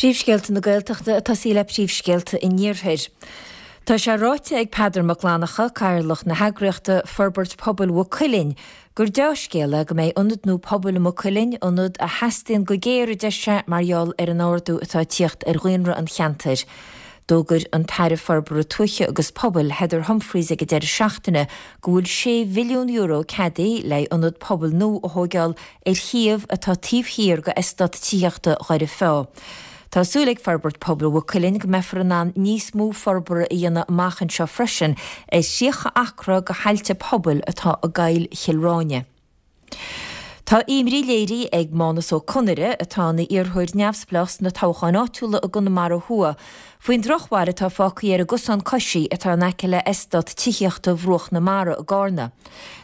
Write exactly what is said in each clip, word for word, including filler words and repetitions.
Príomhscéalta na Gaeltachta ag tosaí le príomhscéalta an Iarthair. Tá sé ráite ag Peadar Mac Fhlannchadha, Cathaoirleach na heagraíochta Forbairt Pobail Mhaigh Cuilinn, gur dea-scéal é go mbeidh ionad nua pobail i Maigh Cuilinn, ionad a theastaíonn go géar a deir sé mar gheall ar an ardú atá ag tíocht ar dhaonra an cheantair. D'fhógair an tAire Forbartha Tuaithe agus Pobail, Heather Humphreys ag an deireadh seachtaine go bhfuil sé mhilliún euro ceadaithe le ionad pobail nua a thógáil ar shuíomh atá taobh thiar go eastát tithíochta Dhoire Feá. Tá súil ag Forbairt Pobail Mhaigh Cuilinn go mbeifear in ann níos mó forbartha a dhéanamh amach anseo freisin ar thríocha acra go thailte pobail atá i gCoill Chill Ráine. Tá imní léirithe ag Mánas Ó Conaire, atá ina iarrthóir neamhspleách sna toghcháin áitiúla i gConamara Thuaidh, faoin drochbhail atá fágtha ar an gcosán coisí atá in aice le eastát tithíochta Bhruach na Mara i gCarna.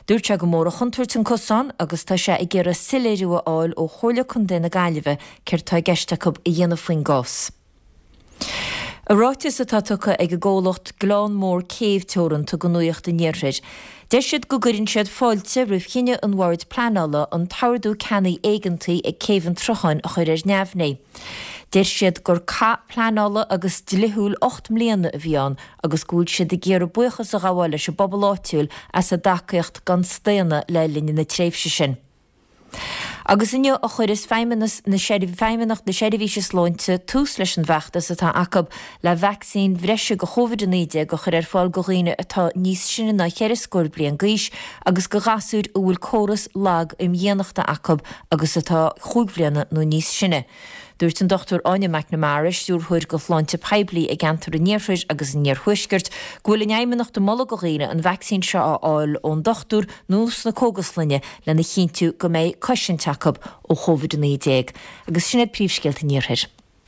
Dúirt sé gur mór an chontúirt an cosán agus tá sé ag iarraidh soiléiriú a fháil ó Chomhairle Contae na Gaillimhe céard atá i gceist acu a dhéanamh faoin gcás. I ráiteas atá tugtha ag an gcomhlacht Gleann Mór Céibh Teoranta go Nuacht an Iarthair, deir siad go gcuireann siad fáilte roimh chinneadh an Bhoird Pleanála an t-ordú ceannaigh éigeantaigh ag Céibh an tSrutháin a chur ar neamhní. Deir siad gur cath pleanála agus dlíthiúil ocht mbliana a bhí ann agus go bhfuil siad ag iarraidh buíochas a ghabháil leis an bpobal áitiúil as a dtacaíocht gan staonadh le linn na tréimhse sin. Agus inniu a chuireas Feidhmeannas na Feidhmeannacht na Seirbhíse Sláinte tús leis an bhfeachtas atá acu le vacsaín bhreise go Covid a naoi déag a chur ar fáil go dhaoine atá níos sine ná ceithre scór bliain d'aois agus go ghasúir a bhfuil córas lag imdhíonachta acu agus atá chúig bhliana nó níos sine. Dúirt an Dr Áine McNamara, stiúrthóir go Shláinte Poiblí i gceantar an Iarthair agus an Iarthuaiscirt, go bhfuil an Fheidhmeannacht ag moladh go dhaoine an vacsaín seo a fháil ón dochtúir nó sna cógaslainne lena chinntiú go mbeidh cosaint acu ó Covid a naoi déag. Agus sin iad príomhscéalta an Iarthair.